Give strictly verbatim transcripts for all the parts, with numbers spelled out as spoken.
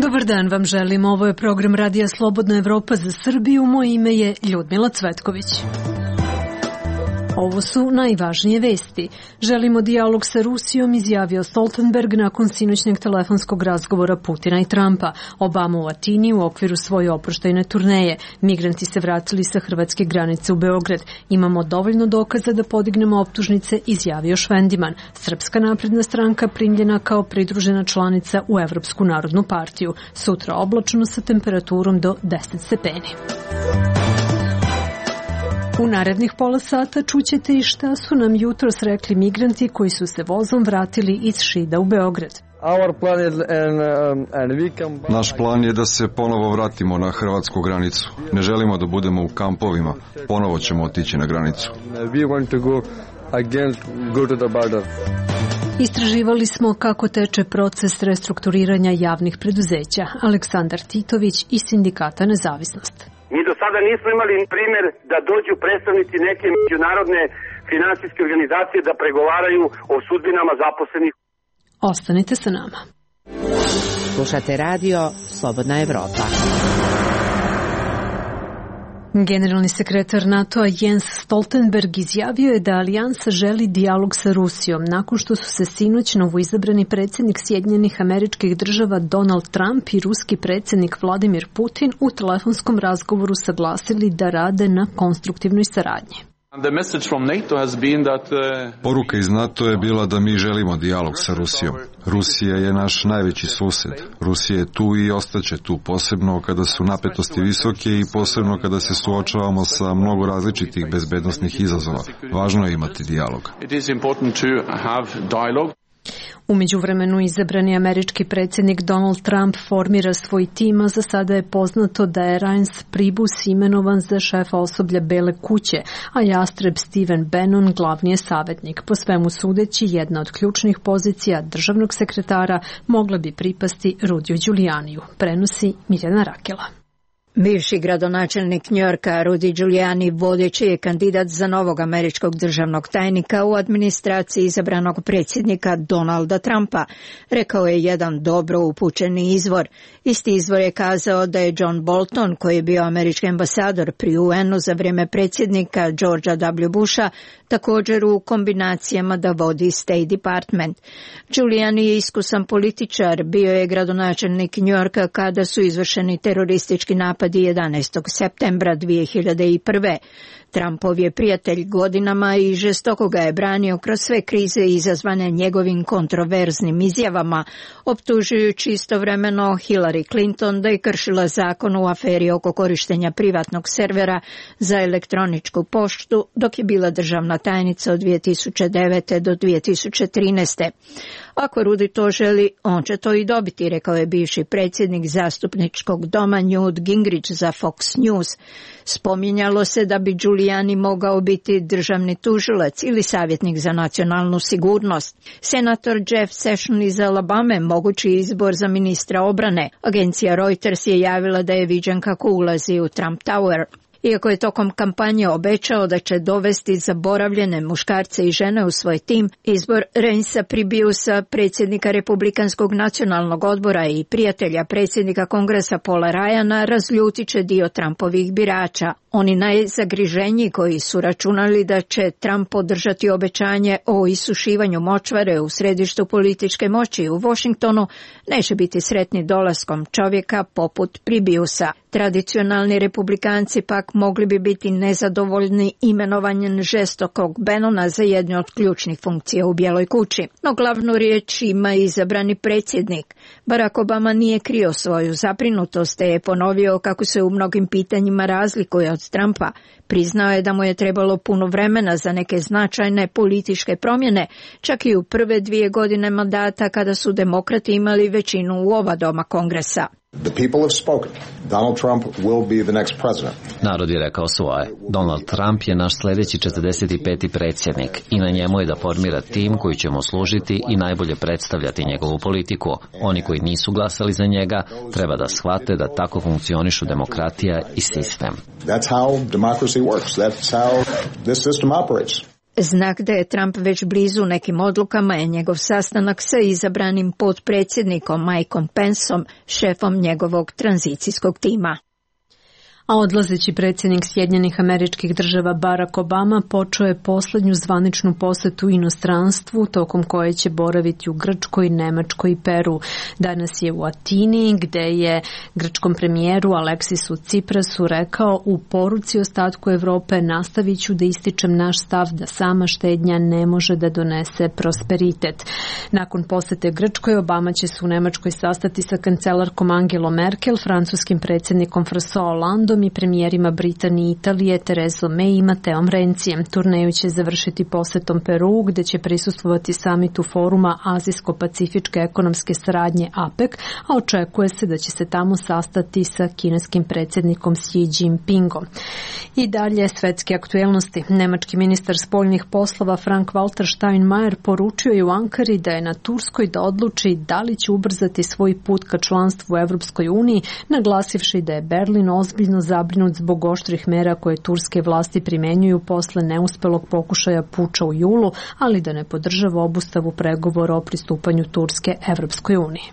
Dobar dan vam želim, ovo je program Radija Slobodna Evropa za Srbiju, moje ime je Ljudmila Cvetković. Ovo su najvažnije vesti. Želimo dijalog sa Rusijom, izjavio Stoltenberg nakon sinoćnjeg telefonskog razgovora Putina i Trumpa. Obama u Atini u okviru svoje oproštajne turneje. Migranti se vratili sa hrvatske granice u Beograd. Imamo dovoljno dokaza da podignemo optužnice, izjavio Švendiman. Srpska napredna stranka primljena kao pridružena članica u Evropsku narodnu partiju. Sutra oblačno sa temperaturom do deset stepeni. U narednih pola sata čućete i šta su nam jutros rekli migranti koji su se vozom vratili iz Šida u Beograd. Naš plan je da se ponovo vratimo na hrvatsku granicu. Ne želimo da budemo u kampovima. Ponovo ćemo otići na granicu. Istraživali smo kako teče proces restrukturiranja javnih preduzeća. Aleksandar Titović iz Sindikata Nezavisnost. Mi do sada nismo imali primjer da dođu predstavnici neke međunarodne finansijske organizacije da pregovaraju o sudbinama zaposlenih. Ostanite sa nama. Slušate radio Slobodna Evropa. Generalni sekretar NATO-a Jens Stoltenberg izjavio je da alijansa želi dijalog sa Rusijom nakon što su se sinoć novoizabrani predsjednik Sjedinjenih Američkih Država Donald Trump i ruski predsjednik Vladimir Putin u telefonskom razgovoru saglasili da rade na konstruktivnoj saradnji. Poruka iz NATO je bila da mi želimo dijalog sa Rusijom. Rusija je naš najveći sused. Rusija je tu i ostaće tu, posebno kada su napetosti visoke i posebno kada se suočavamo sa mnogo različitih bezbednosnih izazova. Važno je imati dijalog. U međuvremenu izabrani američki predsjednik Donald Trump formira svoj tim, a za sada je poznato da je Reince Priebus imenovan za šefa osoblja Bele kuće, a jastreb Stephen Bannon glavni je savjetnik. Po svemu sudeći, jedna od ključnih pozicija državnog sekretara mogla bi pripasti Rudiju Giulianiju, prenosi Mirjana Rakela. Bivši gradonačelnik Njujorka Rudy Giuliani vodeći je kandidat za novog američkog državnog tajnika u administraciji izabranog predsjednika Donalda Trumpa, rekao je jedan dobro upućeni izvor. Isti izvor je kazao da je John Bolton, koji je bio američki ambasador pri U N-u za vrijeme predsjednika Georgea W. Busha, također u kombinacijama da vodi State Department. Giuliani je iskusan političar, bio je gradonačelnik Njujorka kada su izvršeni teroristički napadi jedanaestog septembra dvije hiljade prve. Trumpov je prijatelj godinama i žestoko ga je branio kroz sve krize izazvane njegovim kontroverznim izjavama, optužujući istovremeno Hillary Clinton da je kršila zakon u aferi oko korištenja privatnog servera za elektroničku poštu dok je bila državna tajnica od dvije tisuće devete do dvije tisuće trinaeste. Ako Rudy to želi, on će to i dobiti, rekao je bivši predsjednik zastupničkog doma Newt Gingrich za Fox News. Spominjalo se da bi Giuliani mogao biti državni tužilac ili savjetnik za nacionalnu sigurnost. Senator Jeff Sessions iz Alabame mogući izbor za ministra obrane. Agencija Reuters je javila da je viđen kako ulazi u Trump Tower. Iako je tokom kampanje obećao da će dovesti zaboravljene muškarce i žene u svoj tim, izbor Reincea Priebusa, predsjednika Republikanskog nacionalnog odbora i prijatelja predsjednika Kongresa Paula Ryana, razljutit će dio Trumpovih birača. Oni najzagriženiji koji su računali da će Trump podržati obećanje o isušivanju močvare u središtu političke moći u Washingtonu neće biti sretni dolaskom čovjeka poput Priebusa. Tradicionalni republikanci pak mogli bi biti nezadovoljni imenovanjem žestokog Bannona za jednu od ključnih funkcija u Bijeloj kući. No glavnu riječ ima izabrani predsjednik. Barack Obama nije krio svoju zabrinutost, te je ponovio kako se u mnogim pitanjima razlikuje od Trumpa. Priznao je da mu je trebalo puno vremena za neke značajne političke promjene, čak i u prve dvije godine mandata kada su demokrati imali većinu u oba doma Kongresa. The people have spoken. Donald Trump will be the next president. Narod je rekao svoje. Donald Trump je naš sljedeći četrdeset peti predsjednik i na njemu je da formira tim koji će mu služiti i najbolje predstavljati njegovu politiku. Oni koji nisu glasali za njega treba da shvate da tako funkcionišu demokratija i sistem. That's how democracy works. That's how this system operates. Znak da je Trump već blizu nekim odlukama je njegov sastanak sa izabranim potpredsjednikom Mikeom Penceom, šefom njegovog tranzicijskog tima. A odlazeći predsjednik Sjedinjenih Američkih Država Barack Obama počeo je poslednju zvaničnu posetu inostranstvu tokom koje će boraviti u Grčkoj, Nemačkoj i Peru. Danas je u Atini gde je grčkom premijeru Aleksisu Ciprasu rekao: u poruci ostatku Evrope nastavit ću da ističem naš stav da sama štednja ne može da donese prosperitet. Nakon posete Grčkoj, Obama će se u Nemačkoj sastati sa kancelarkom Angelom Merkel, francuskim predsjednikom François Hollandom i premijerima Britanije i Italije Terezom May i Mateom Rencijem. Turneju će završiti posetom Peru, gde će prisustvovati samitu foruma Azijsko-pacifičke ekonomske saradnje A P E C, a očekuje se da će se tamo sastati sa kineskim predsjednikom Xi Jinpingom. I dalje svetske aktuelnosti. Nemački ministar spoljnih poslova Frank-Walter Steinmeier poručio je u Ankari da je na Turskoj da odluči da li će ubrzati svoj put ka članstvu u Evropskoj uniji, naglasivši da je Berlin ozbiljno zabrinut zbog oštrih mera koje turske vlasti primenjuju posle neuspelog pokušaja puča u julu, ali da ne podržava obustavu pregovora o pristupanju Turske Evropskoj uniji.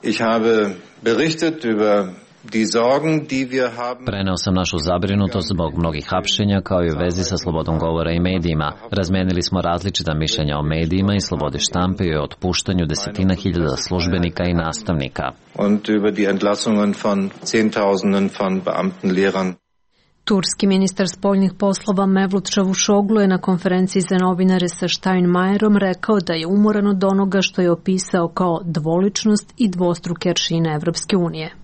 Ich habe berichtet über die Sorgen, die wir haben. Preneo sam našu zabrinutost zbog mnogih hapšenja kao i u vezi sa slobodom govora i medijima. Razmenili smo različita mišljenja o medijima i slobodi štampe i o otpuštanju desetina hiljada službenika i nastavnika. Und über die Entlassungen von Zehntausenden von Beamten, Lehrern. Turski ministar spoljnih poslova Mevlut Čavuşoglu je na konferenciji za novinare sa Steinmeierom rekao da je umoran od onoga što je opisao kao dvoličnost i dvostruke aršine Evropske unije.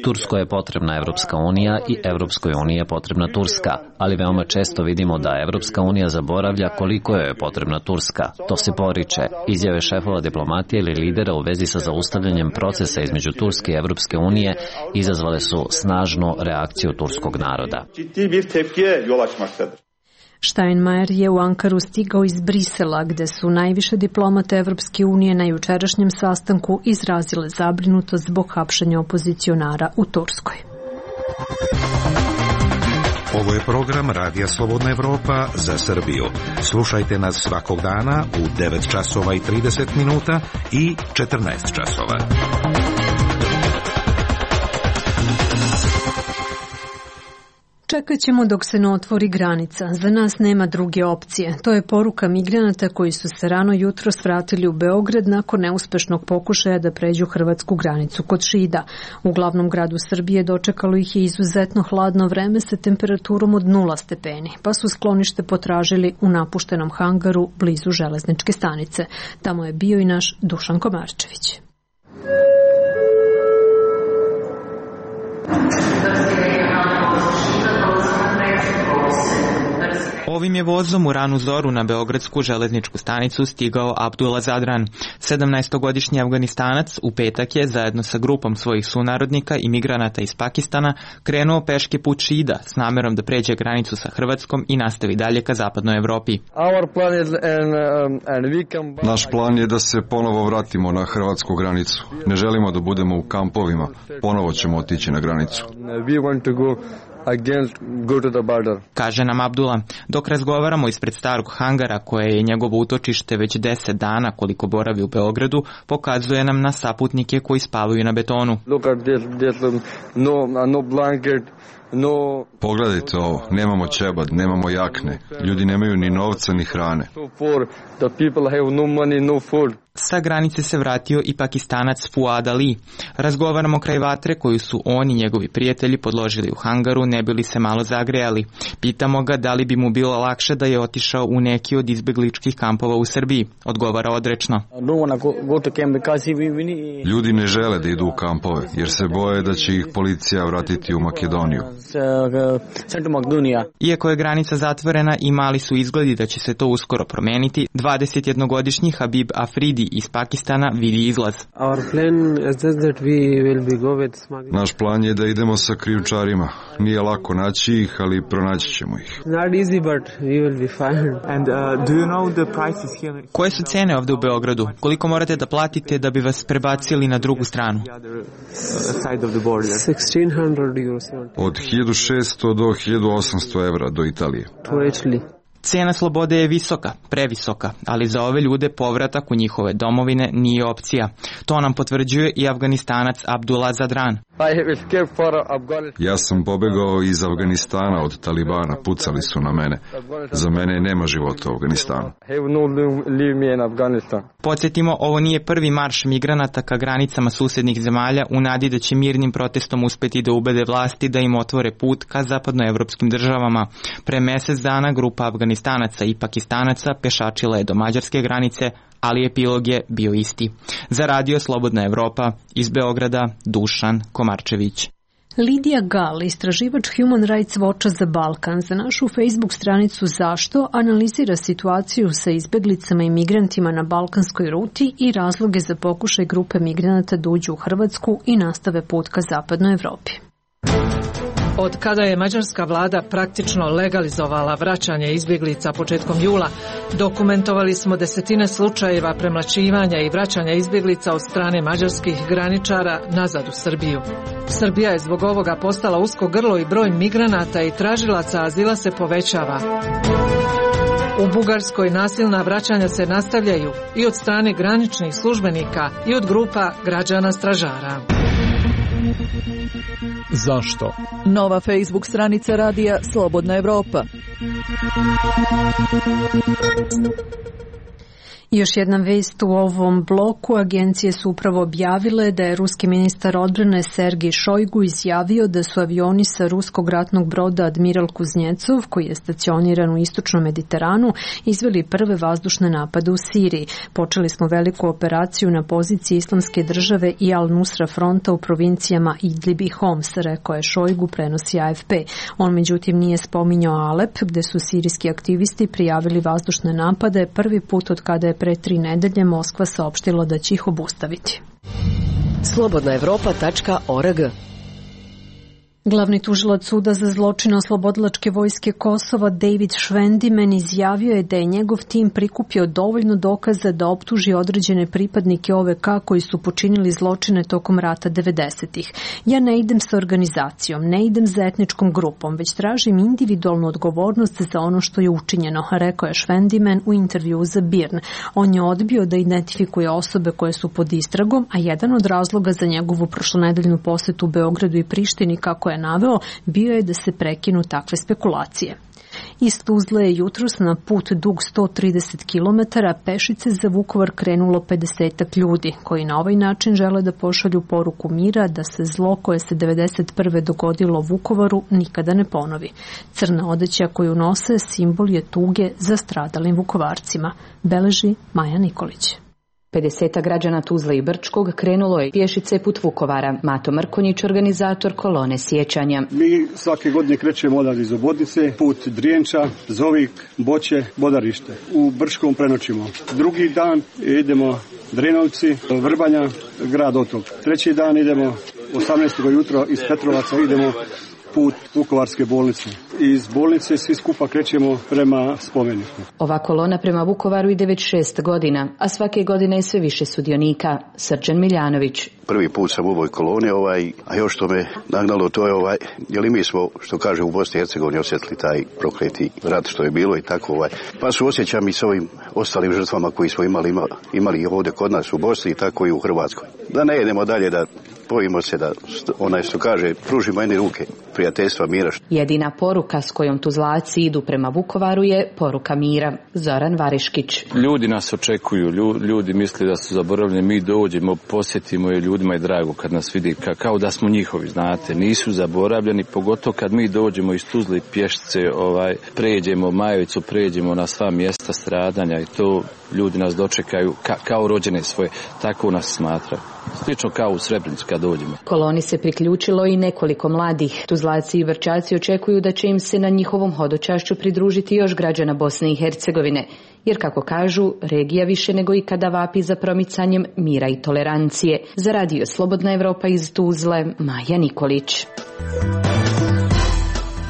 Turskoj je potrebna Evropska unija i Evropskoj uniji je potrebna Turska, ali veoma često vidimo da Evropska unija zaboravlja koliko joj je potrebna Turska. To se poriče. Izjave šefova diplomatije ili lidera u vezi sa zaustavljanjem procesa između Turske i Evropske unije izazvale su snažnu reakciju turskog naroda. Steinmeier je u Ankaru stigao iz Brisela, gde su najviše diplomate Evropske unije na jučerašnjem sastanku izrazile zabrinutost zbog hapšenja opozicionara u Turskoj. Ovo je program Radija Slobodna Evropa za Srbiju. Slušajte nas svakog dana u devet časova i trideset minuta i četrnaest časova. Čekat ćemo dok se ne otvori granica. Za nas nema druge opcije. To je poruka migranata koji su se rano jutros vratili u Beograd nakon neuspešnog pokušaja da pređu hrvatsku granicu kod Šida. U glavnom gradu Srbije dočekalo ih je izuzetno hladno vreme sa temperaturom od nula stepeni, pa su sklonište potražili u napuštenom hangaru blizu železničke stanice. Tamo je bio i naš Dušan Komarčević. Ovim je vozom u ranu zoru na beogradsku železničku stanicu stigao Abdullah Zadran. sedamnaestogodišnji Afganistanac u petak je zajedno sa grupom svojih sunarodnika i migranata iz Pakistana krenuo peške put Šida s namerom da pređe granicu sa Hrvatskom i nastavi dalje ka zapadnoj Evropi. Naš plan je da se ponovo vratimo na hrvatsku granicu. Ne želimo da budemo u kampovima. Ponovo ćemo otići na granicu. Kaže nam Abdullah. Dok razgovaramo ispred starog hangara koje je njegovo utočište već deset dana koliko boravi u Beogradu, pokazuje nam na saputnike koji spavaju na betonu. No. Pogledajte ovo, nemamo ćebad, nemamo jakne, ljudi nemaju ni novca ni hrane. Sa granice se vratio i Pakistanac Fuad Ali. Razgovaramo kraj vatre koju su on i njegovi prijatelji podložili u hangaru ne bi li se malo zagrejali. Pitamo ga da li bi mu bilo lakše da je otišao u neki od izbegličkih kampova u Srbiji. Odgovara odrečno. Ljudi ne žele da idu u kampove jer se boje da će ih policija vratiti u Makedoniju. Iako je granica zatvorena i mali su izgledi da će se to uskoro promeniti, dvadesetjednogodišnji Habib Afridi iz Pakistana vidi izlaz. Naš plan je da idemo sa krijumčarima. Nije lako naći ih, ali pronaći ćemo ih. Koje su cene ovde u Beogradu? Koliko morate da platite da bi vas prebacili na drugu stranu? Od hiljadu šesto do hiljadu osamsto evra do Italije. Cena slobode je visoka, previsoka, ali za ove ljude povratak u njihove domovine nije opcija. To nam potvrđuje i Afganistanac Abdullah Zadran. Ja sam pobegao iz Afganistana od Talibana, pucali su na mene. Za mene nema života u Afganistanu. Podsjetimo, ovo nije prvi marš migranata ka granicama susednih zemalja u nadi da će mirnim protestom uspeti da ubede vlasti da im otvore put ka zapadnoevropskim državama. Pre mesec dana grupa Afganistanaca i Pakistanaca pešačila je do mađarske granice, ali epilog je bio isti. Za Radio Slobodna Evropa, iz Beograda, Dušan Komarčević. Lidija Gal, istraživač Human Rights Watcha za Balkan, za našu Facebook stranicu Zašto analizira situaciju sa izbeglicama i migrantima na balkanskoj ruti i razloge za pokušaj grupe migranata da uđu u Hrvatsku i nastave put ka zapadnoj Evropi. Od kada je mađarska vlada praktično legalizovala vraćanje izbjeglica početkom jula, dokumentovali smo desetine slučajeva premlaćivanja i vraćanja izbjeglica od strane mađarskih graničara nazad u Srbiju. Srbija je zbog ovoga postala usko grlo i broj migranata i tražilaca azila se povećava. U Bugarskoj nasilna vraćanja se nastavljaju i od strane graničnih službenika i od grupa građana stražara. Zašto? Nova Facebook stranica radija Slobodna Evropa. Još jedna vest u ovom bloku. Agencije su upravo objavile da je ruski ministar odbrane Sergej Šojgu izjavio da su avioni sa ruskog ratnog broda Admiral Kuznjecov, koji je stacioniran u istočnom Mediteranu, izveli prve vazdušne napade u Siriji. Počeli smo veliku operaciju na poziciji Islamske države i Al-Nusra fronta u provincijama Idlib i Homs, rekao je Šojgu, prenosi A F P. On međutim nije spominjao Alep, gde su sirijski aktivisti prijavili vazdušne napade prvi put od kada je pre tri nedelje Moskva saopštila da će ih obustaviti. slobodna evropa tačka org. Glavni tužilac suda za zločine oslobodilačke vojske Kosova David Švendimen izjavio je da je njegov tim prikupio dovoljno dokaza da optuži određene pripadnike O V K koji su počinili zločine tokom rata devedesetih. Ja ne idem sa organizacijom, ne idem za etničkom grupom, već tražim individualnu odgovornost za ono što je učinjeno, rekao je Švendimen u intervjuu za Birn. On je odbio da identifikuje osobe koje su pod istragom, a jedan od razloga za njegovu prošlonedeljnu posetu u Beogradu i Prištini, kako je naveo, bio je da se prekinu takve spekulacije. Iz Tuzle je jutros na put dug sto trideset kilometara pešice za Vukovar krenulo pedesetak ljudi, koji na ovaj način žele da pošalju poruku mira da se zlo koje se devedeset prve dogodilo Vukovaru nikada ne ponovi. Crna odeća koju nose simbol je tuge za stradalim Vukovarcima, beleži Maja Nikolić. pedeseta građana Tuzle i Brčkog krenulo je pješice put Vukovara. Mato Mrkonjić, organizator kolone sjećanja. Mi svake godine krećemo odavde iz Obodnice, put Drijenča, Zovik, Boće, Bodarište. U Brčkom prenoćimo. Drugi dan idemo Drenovci, Vrbanja, grad Otok. Treći dan idemo osamnaestog jutro iz Petrovaca idemo put Vukovarske bolnice. Iz bolnice svi skupa krećemo prema spomeniku. Ova kolona prema Vukovaru ide već šest godina, a svake godine je sve više sudionika. Srđan Miljanović. Prvi put sam u ovoj koloni, ovaj, a još što me nagnalo to je ovaj, jer i mi smo, što kaže, u Bosni i Hercegovini osjetili taj prokleti rat što je bilo i tako ovaj. Pa su osjećam i s ovim ostalim žrtvama koji smo imali, imali, imali ovdje kod nas u Bosni i tako i u Hrvatskoj. Da ne idemo dalje, da bojimo se da onaj što kaže, pružimo jedne ruke prijateljstva, mira. Jedina poruka s kojom Tuzlaci idu prema Vukovaru je poruka mira. Zoran Variškić. Ljudi nas očekuju, ljudi misle da su zaboravljeni, mi dođemo, posjetimo je, ljudima je drago kad nas vidi ka, kao da smo njihovi, znate, nisu zaboravljeni, pogotovo kad mi dođemo iz Tuzle pješice, ovaj, pređemo Majevicu, pređemo na sva mjesta stradanja i to ljudi nas dočekaju ka, kao rođene svoje, tako nas smatraju. Slično kao u Srebrenicu kad dođemo. Koloni se priključilo i nekoliko mladih. Tuzlaci i Vrčaci očekuju da će im se na njihovom hodočašću pridružiti još građana Bosne i Hercegovine, jer kako kažu, regija više nego ikada vapi za promicanjem mira i tolerancije. Za Radio Slobodna Evropa iz Tuzle, Maja Nikolić.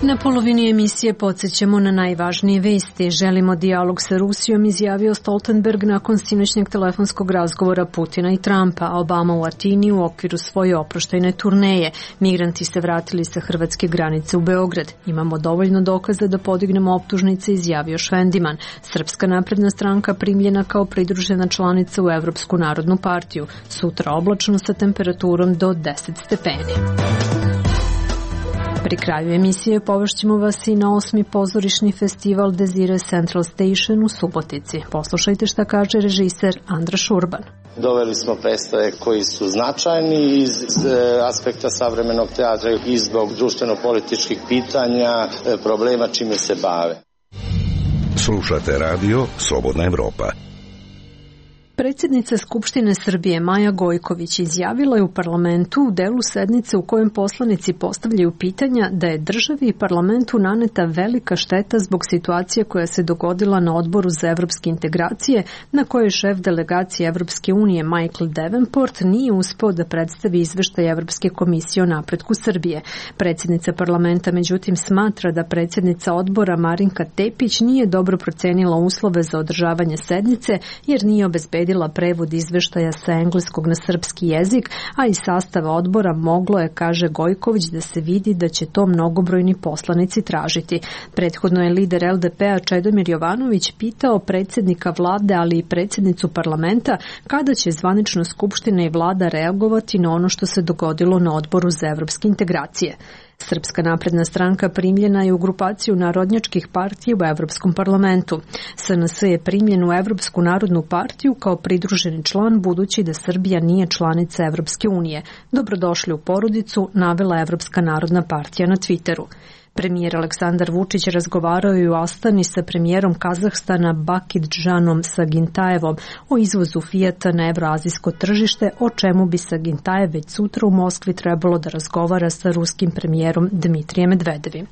Na polovini emisije podsjećamo na najvažnije vesti. Želimo dijalog sa Rusijom, izjavio Stoltenberg nakon sinoćnjeg telefonskog razgovora Putina i Trumpa. Obama u Atini u okviru svoje oproštajne turneje. Migranti se vratili sa hrvatske granice u Beograd. Imamo dovoljno dokaza da podignemo optužnice, izjavio Švendiman. Srpska napredna stranka primljena kao pridružena članica u Evropsku narodnu partiju. Sutra oblačno sa temperaturom do deset stepeni. Pri kraju emisije povešćemo vas i na osmi pozorišni festival Desire Central Station u Subotici. Poslušajte šta kaže režiser Andra Šurban. Doveli smo predstave koji su značajni iz aspekta savremenog teatra i zbog društveno-političkih pitanja, problema čime se bave. Slušate radio Slobodna Evropa. Predsjednica Skupštine Srbije Maja Gojković izjavila je u parlamentu u delu sednice u kojem poslanici postavljaju pitanja da je državi i parlamentu naneta velika šteta zbog situacije koja se dogodila na odboru za evropske integracije, na kojoj je šef delegacije Evropske unije Michael Davenport nije uspeo da predstavi izveštaj Evropske komisije o napretku Srbije. Predsjednica parlamenta međutim smatra da predsjednica odbora Marinka Tepić nije dobro procenila uslove za održavanje sednice jer nije obezbedila prevod izveštaja sa engleskog na srpski jezik, a iz sastava odbora moglo je, kaže Gojković, da se vidi da će to mnogobrojni poslanici tražiti. Prethodno je lider L D P-a Čedomir Jovanović pitao predsjednika vlade, ali i predsjednicu parlamenta, kada će zvanično Skupština i vlada reagovati na ono što se dogodilo na odboru za evropske integracije. Srpska napredna stranka primljena je u grupaciju narodnjačkih partija u Evropskom parlamentu. S N S je primljen u Evropsku narodnu partiju kao pridruženi član budući da Srbija nije članica Evropske unije. Dobrodošli u porodicu, navela Evropska narodna partija na Twitteru. Premijer Aleksandar Vučić razgovarao je u Astani sa premijerom Kazahstana Bakidžanom Sagintajevom o izvozu Fijata na evroazijsko tržište, o čemu bi Sagintajev već sutra u Moskvi trebalo da razgovara sa ruskim premijerom Dmitrijem Medvedevim.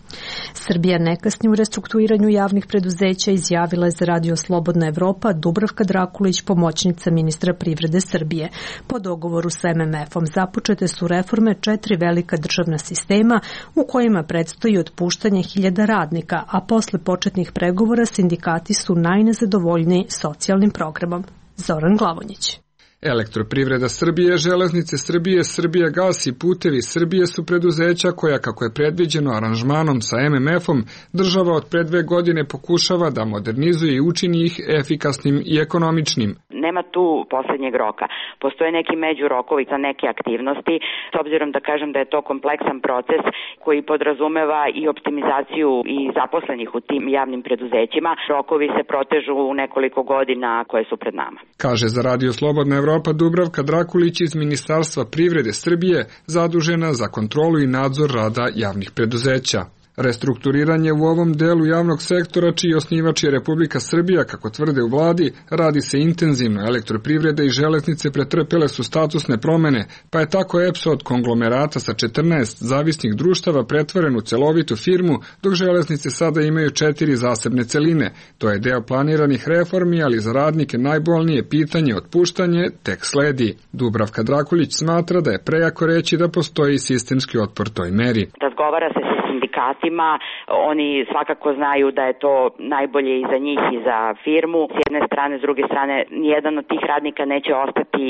Srbija ne kasni u restrukturiranju javnih preduzeća, izjavila je za Radio Slobodna Evropa Dubravka Drakulić, pomoćnica ministra privrede Srbije. Po dogovoru sa M M F-om započete su reforme četiri velika državna sistema u kojima predstoji od otpuštanje hiljada radnika, a posle početnih pregovora sindikati su najnezadovoljniji socijalnim programom. Zoran Glavonjić. Elektroprivreda Srbije, Železnice Srbije, Srbija gas i Putevi Srbije su preduzeća koja, kako je predviđeno aranžmanom sa M M F-om, država od pre dve godine pokušava da modernizuje i učini ih efikasnim i ekonomičnim. Nema tu poslednjeg roka. Postoje neki međurokovi za neke aktivnosti, s obzirom da kažem da je to kompleksan proces koji podrazumeva i optimizaciju i zaposlenih u tim javnim preduzećima. Rokovi se protežu u nekoliko godina koje su pred nama. Kaže za Radio Slobodna Evropa Dubravka Drakulić iz Ministarstva privrede Srbije, zadužena za kontrolu i nadzor rada javnih preduzeća. Restrukturiranje u ovom delu javnog sektora, čiji osnivač je Republika Srbija, kako tvrde u vladi, radi se intenzivno. Elektroprivreda i železnice pretrpele su statusne promene, pa je tako E P S od konglomerata sa četrnaest zavisnih društava pretvoren u celovitu firmu, dok železnice sada imaju četiri zasebne celine. To je deo planiranih reformi, ali za radnike najbolnije pitanje otpuštanje tek sledi. Dubravka Drakulić smatra da je prejako reći da postoji sistemski otpor toj meri. Razgovara se sa sindikatima, oni svakako znaju da je to najbolje i za njih i za firmu. S jedne strane, s druge strane, nijedan od tih radnika neće ostati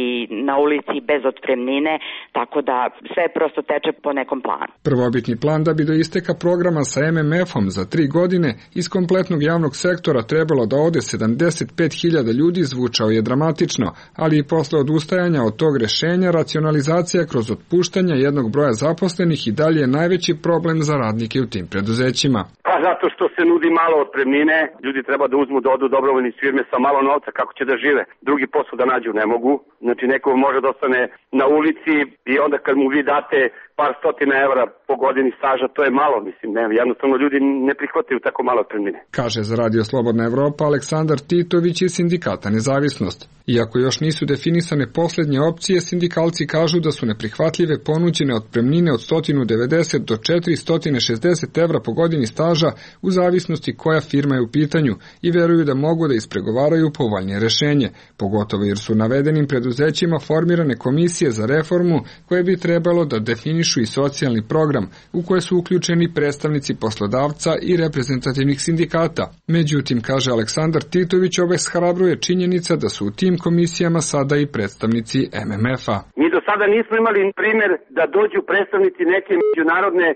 na ulici bez otpremnine, tako da sve prosto teče po nekom planu. Prvobitni plan da bi do isteka programa sa M M F-om za tri godine iz kompletnog javnog sektora trebalo da ode sedamdeset pet hiljada ljudi zvučao je dramatično, ali i posle odustajanja od tog rešenja racionalizacija kroz otpuštanja jednog broja zaposlenih i dalje je najveći problem za radnike u tim preduzećima. Pa zato što se nudi malo otpremnine, ljudi treba da uzmu da odu dobrovoljni iz firme sa malo novca, kako će da žive. Drugi posao da nađu ne mogu, znači neko može da ostane na ulici i onda kad mu vi date par stotina evra po godini staža, to je malo, mislim, ne, jednostavno ljudi ne prihvataju tako malo otpremnine. Kaže za Radio Slobodna Evropa Aleksandar Titović iz sindikata Nezavisnost. Iako još nisu definisane poslednje opcije, sindikalci kažu da su neprihvatljive ponuđene otpremnine od sto devedeset do četiristo šezdeset evra po godini staža u zavisnosti koja firma je u pitanju i veruju da mogu da ispregovaraju povoljnije rešenje, pogotovo jer su navedenim preduzećima formirane komisije za reformu koje bi trebalo da definišu definišu i socijalni program u koje su uključeni predstavnici poslodavca i reprezentativnih sindikata. Međutim, kaže Aleksandar Titović, obeshrabruje činjenica da su u tim komisijama sada i predstavnici em em ef-a. Mi do sada nismo imali primjer da dođu predstavnici neke međunarodne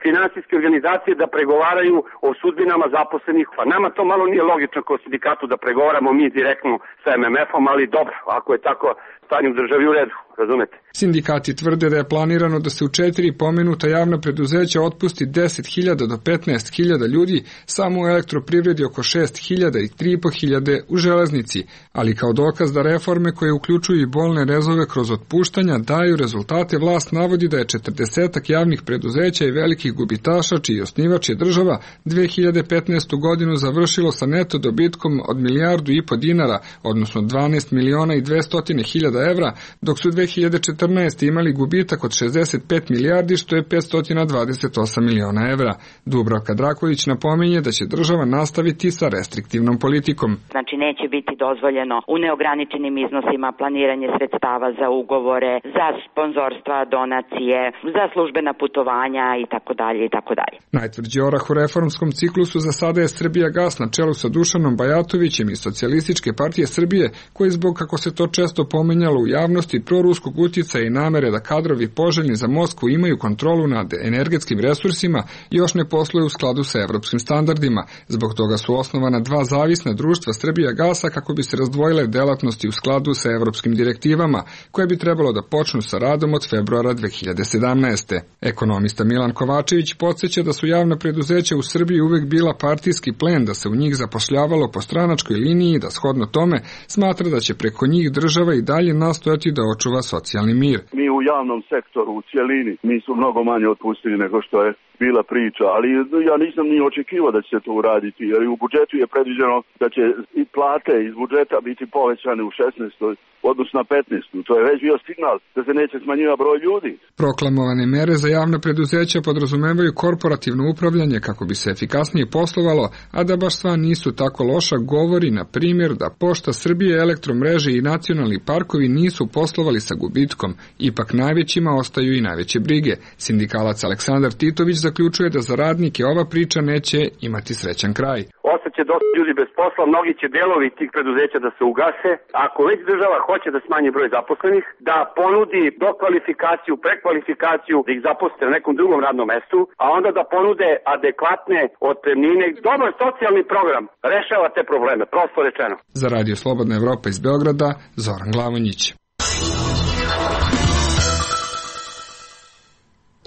finansijske organizacije da pregovaraju o sudbinama zaposlenih. Pa nama to malo nije logično kao sindikatu da pregovaramo mi direktno sa em em ef-om, ali dobro, ako je tako stanje u državi u redu, razumete? Sindikati tvrde da je planirano da se u četiri pomenuta javna preduzeća otpusti deset hiljada do petnaest hiljada ljudi, samo u elektroprivredi oko šest hiljada i tri i po hiljade u železnici, ali kao dokaz da reforme koje uključuju i bolne rezove kroz otpuštanja daju rezultate, vlast navodi da je četrdesetak javnih preduzeća i velikih gubitaša, čiji osnivač je država, dve hiljade petnaestu godinu završilo sa neto dobitkom od milijardu i po dinara, odnosno dvanaest miliona i dvesta hiljada evra, dok su dve hiljade četrnaeste. imali gubitak od šezdeset pet milijardi, što je petsto dvadeset osam miliona evra. Dubravka Drakulić napominje da će država nastaviti sa restriktivnom politikom. Znači neće biti dozvoljeno u neograničenim iznosima planiranje sredstava za ugovore, za sponzorstva, donacije, za službena putovanja i tako dalje i tako dalje. Najtvrđi orah u reformskom ciklusu za sada je Srbijagas na čelu sa Dušanom Bajatovićem iz Socijalističke partije Srbije, koji zbog, kako se to često pomenjalo u javnosti, proruskog utjecaja i namere da kadrovi poželjni za Moskvu imaju kontrolu nad energetskim resursima, još ne posluje u skladu sa evropskim standardima. Zbog toga su osnovana dva zavisna društva Srbijagasa kako bi se razdvojile delatnosti u skladu sa evropskim direktivama, koje bi trebalo da počnu sa radom od februara dve hiljade sedamnaeste. Ekonomista Milan Kovačević podsjeća da su javna preduzeća u Srbiji uvek bila partijski plen, da se u njih zapošljavalo po stranačkoj liniji i da shodno tome smatra da će preko njih država i dalje nastojati da očuva socijalni mir. Mi u javnom sektoru u cijelini mi su mnogo manje otpustili nego što je bila priča, ali ja nisam ni očekivao da će se to uraditi, jer u budžetu je predviđeno da će i plate iz budžeta biti povećane u šesnaestoj odnosno na petnaestoj. To je već bio signal da se neće smanjivati broj ljudi. Proklamovane mere za javna preduzeća podrazumevaju korporativno upravljanje kako bi se efikasnije poslovalo, a da baš sva nisu tako loša govori, na primjer, da Pošta Srbije, Elektromreže i nacionalni parkovi nisu poslovali sa gubitkom. Ipak najvećima ostaju i najveće brige. Sindikalac Aleksandar Titović zaključuje da za radnike ova priča neće imati srećan kraj. Ostaće dosta ljudi bez posla, mnogi će delovi tih preduzeća da se ugase. Ako već država hoće da smanji broj zaposlenih, da ponudi dokvalifikaciju, prekvalifikaciju, da ih zaposle na nekom drugom radnom mestu, a onda da ponude adekvatne otpremnine. Dobar socijalni program rešava te probleme, prosto rečeno. Za Radio Slobodna Evropa iz Beograda, Zoran Glavonjić.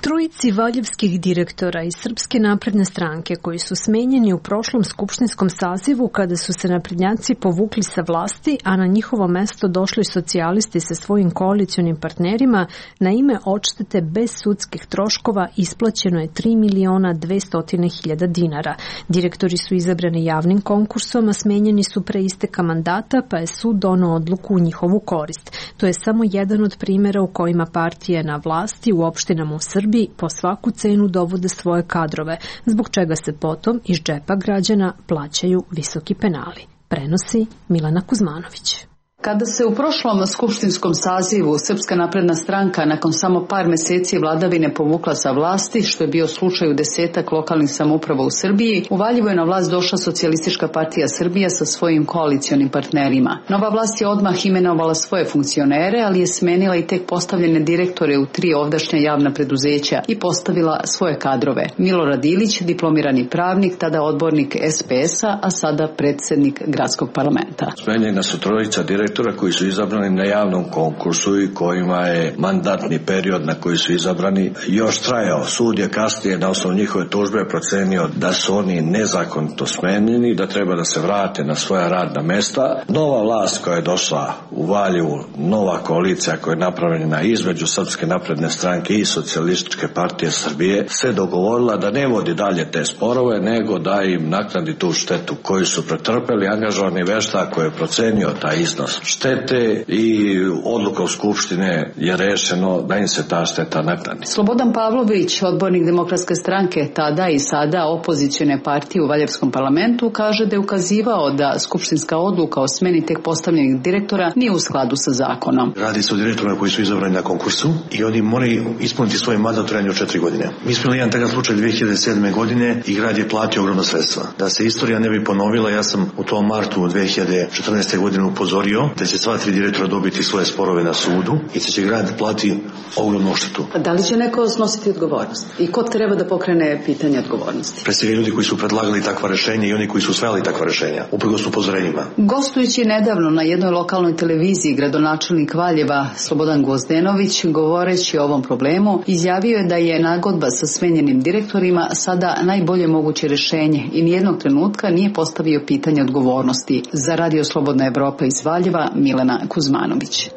Trojici valjevskih direktora iz Srpske napredne stranke koji su smenjeni u prošlom skupštinskom sazivu kada su se naprednjaci povukli sa vlasti, a na njihovo mesto došli socijalisti sa svojim koalicionim partnerima, na ime odštete bez sudskih troškova isplaćeno je tri miliona dvesta hiljada dinara. Direktori su izabrani javnim konkursom, a smenjeni su pre isteka mandata, pa je sud doneo odluku u njihovu korist. To je samo jedan od primjera u kojima partije na vlasti u opštinama u Srbiji po svaku cenu dovode svoje kadrove, zbog čega se potom iz džepa građana plaćaju visoki penali. Prenosi Milana Kuzmanović. Kada se u prošlom skupštinskom sazivu Srpska napredna stranka nakon samo par meseci vladavine povukla sa vlasti, što je bio slučaj u desetak lokalnih samouprava u Srbiji, u Valjevu je na vlast došla Socijalistička partija Srbija sa svojim koalicionim partnerima. Nova vlast je odmah imenovala svoje funkcionere, ali je smenila i tek postavljene direktore u tri ovdašnja javna preduzeća i postavila svoje kadrove. Milorad Ilić, diplomirani pravnik, tada odbornik es pe es-a, a sada predsjednik gradskog parlamenta. Smenjena su trojica direktora koji su izabrani na javnom konkursu i kojima je mandatni period na koji su izabrani još trajao. Sud je kasnije na osnovu njihove tužbe procenio da su oni nezakonito smenjeni, da treba da se vrate na svoja radna mesta. Nova vlast koja je došla u Valjevu, nova koalicija koja je napravljena između Srpske napredne stranke i Socijalističke partije Srbije, se dogovorila da ne vodi dalje te sporove, nego da im naknadi tu štetu koju su pretrpeli. Angažovani veštak koji je procenio taj iznos štete i odluka u Skupštine je rešeno da im se ta šteta naknadi. Slobodan Pavlović, odbornik Demokratske stranke, tada i sada opozicione partije u Valjevskom parlamentu, kaže da je ukazivao da skupštinska odluka o smeni tek postavljenih direktora nije u skladu sa zakonom. Radi se o direktorima koji su izabrani na konkursu i oni moraju ispuniti svoj mandat u trajanju od četiri godine. Mi smo imali jedan takav slučaj dve hiljade sedme. godine i grad je platio ogromna sredstva. Da se istorija ne bi ponovila, ja sam u tom martu dve hiljade četrnaeste. godine upozorio da će sva tri direktora dobiti svoje sporove na sudu i da će grad plati ogromnu odštetu. A da li će neko snositi odgovornost? I ko treba da pokrene pitanje odgovornosti? Pre svega ljudi koji su predlagali takva rešenja i oni koji su usvajali takva rešenja, uprkos upozorenjima. Gostujući nedavno na jednoj lokalnoj televiziji, gradonačelnik Valjeva Slobodan Gvozdenović, govoreći o ovom problemu, izjavio je da je nagodba sa smenjenim direktorima sada najbolje moguće rešenje i nijednog trenutka nije postavio pitanje odgovornosti. Za Radio Slobodna Evropa iz Valjeva, Milena Kuzmanović.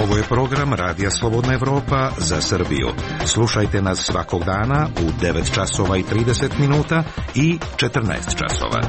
Ovo je program Radija Slobodna Evropa za Srbiju. Slušajte nas svakog dana u devet časova i trideset minuta i četrnaest časova.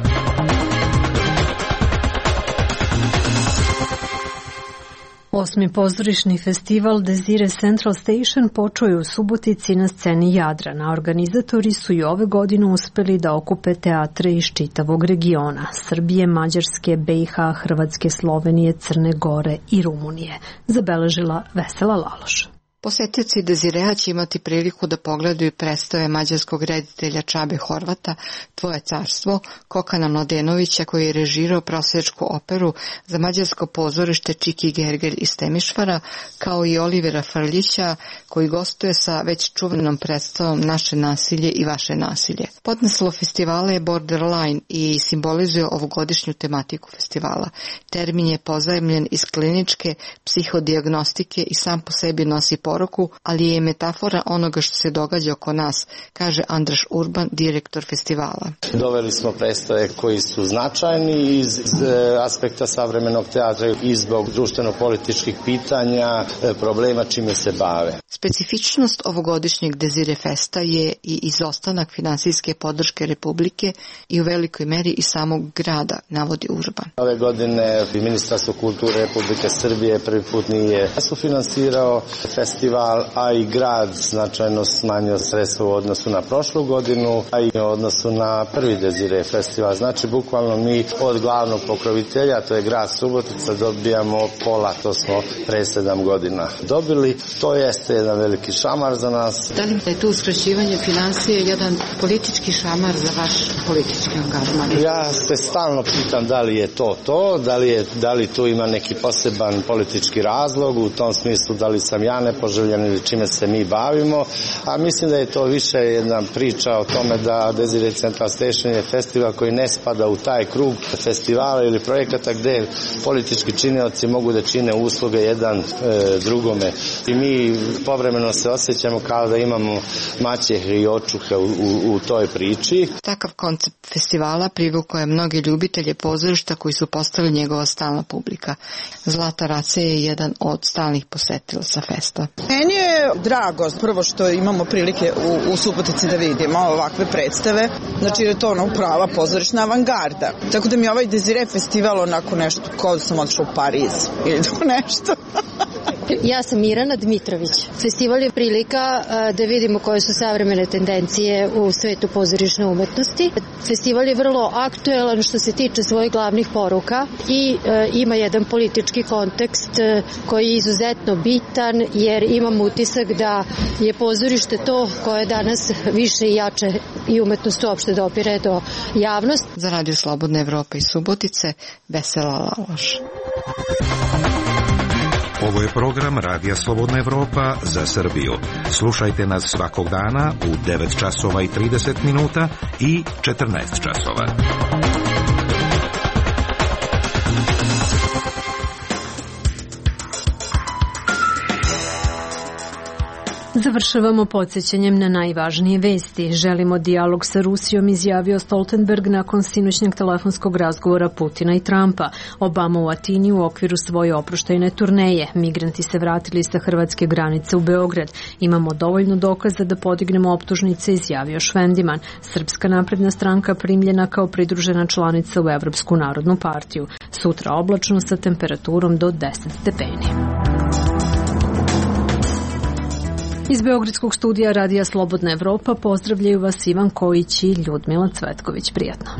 Osmi pozorišni festival Desire Central Station počeo je u Subotici na sceni Jadrana. Organizatori su i ove godine uspeli da okupe teatre iz čitavog regiona – Srbije, Mađarske, B i H, Hrvatske, Slovenije, Crne Gore i Rumunije, zabeležila Vesela Laloš. Posetioci Dezirea će imati priliku da pogledaju predstave mađarskog reditelja Čabe Horvata Tvoje carstvo, Kokana Mladenovića koji je režirao prosjačku operu za mađarsko pozorište Čiki Gerger iz Temišvara, kao i Olivera Frljića koji gostuje sa već čuvenom predstavom Naše nasilje i vaše nasilje. Podnaslov festivala je Borderline i simbolizuje ovogodišnju tematiku festivala. Termin je pozajemljen iz kliničke psihodijagnostike i sam po sebi nosi poruku, ali je metafora onoga što se događa oko nas, kaže Andraš Urban, direktor festivala. Doveli smo predstave koji su značajni iz, iz aspekta savremenog teatra i zbog društveno-političkih pitanja, problema čime se bave. Specifičnost ovogodišnjeg Desire Festa je i izostanak finansijske podrške Republike i u velikoj meri i samog grada, navodi Urban. Ove godine Ministarstvo kulture Republike Srbije prvi put nije sufinansirao festival, a i grad značajno smanjio sredstva u odnosu na prošlu godinu, a i u odnosu na prvi Desire festival. Znači, bukvalno mi od glavnog pokrovitelja, to je grad Subotica, dobijamo pola, to smo pre sedam godina dobili. To jeste jedan veliki šamar za nas. Da li je tu uskraćivanje financije jedan politički šamar za vaš politički angažman? Ja se stalno pitam da li je to to, da li, je, da li tu ima neki poseban politički razlog, u tom smislu da li sam ja nepoželjen ili čime se mi bavimo, a mislim da je to više jedna priča o tome da Desire Central Station je festival koji ne spada u taj krug festivala ili projekata gde politički činioci mogu da čine usluge jedan e, drugome. I mi povremeno se osjećamo kao da imamo maćehe i očuhe u, u, u toj priči. Takav koncept festivala privukao je mnoge ljubitelje pozorišta koji su postali njegova stalna publika. Zlata Race je jedan od stalnih posetilaca festa. Meni je drago prvo što imamo prilike u, u Subotici da vidimo ovakve predstave, znači je to ono prava pozorišna avangarda. Tako da mi ovaj Desire festival onako nešto, kao da sam otišla u Pariz ili to nešto. Ja sam Mirana Dmitrović. Festival je prilika da vidimo koje su savremene tendencije u svetu pozorišne umetnosti. Festival je vrlo aktuelan što se tiče svojih glavnih poruka i e, ima jedan politički kontekst e, koji je izuzetno bitan jer imam utisak da je pozorište to koje danas više i jače i umetnost uopšte dopire do javnosti. Za Radio Slobodna Evropa iz Subotice, Vesela Laloš. Ovo je program Radija Slobodna Evropa za Srbiju. Slušajte nas svakog dana u devet časova i trideset minuta i četrnaest časova. Završavamo podsjećanjem na najvažnije vesti. Želimo dijalog sa Rusijom, izjavio Stoltenberg nakon sinoćnjeg telefonskog razgovora Putina i Trumpa. Obama u Atini u okviru svoje oproštajne turneje. Migranti se vratili sa hrvatske granice u Beograd. Imamo dovoljno dokaza da podignemo optužnice, izjavio Švendiman. Srpska napredna stranka primljena kao pridružena članica u Evropsku narodnu partiju. Sutra oblačno sa temperaturom do deset stepeni. Iz Beogradskog studija Radija Slobodna Evropa pozdravljaju vas Ivan Kojić i Ljudmila Cvetković. Prijatno.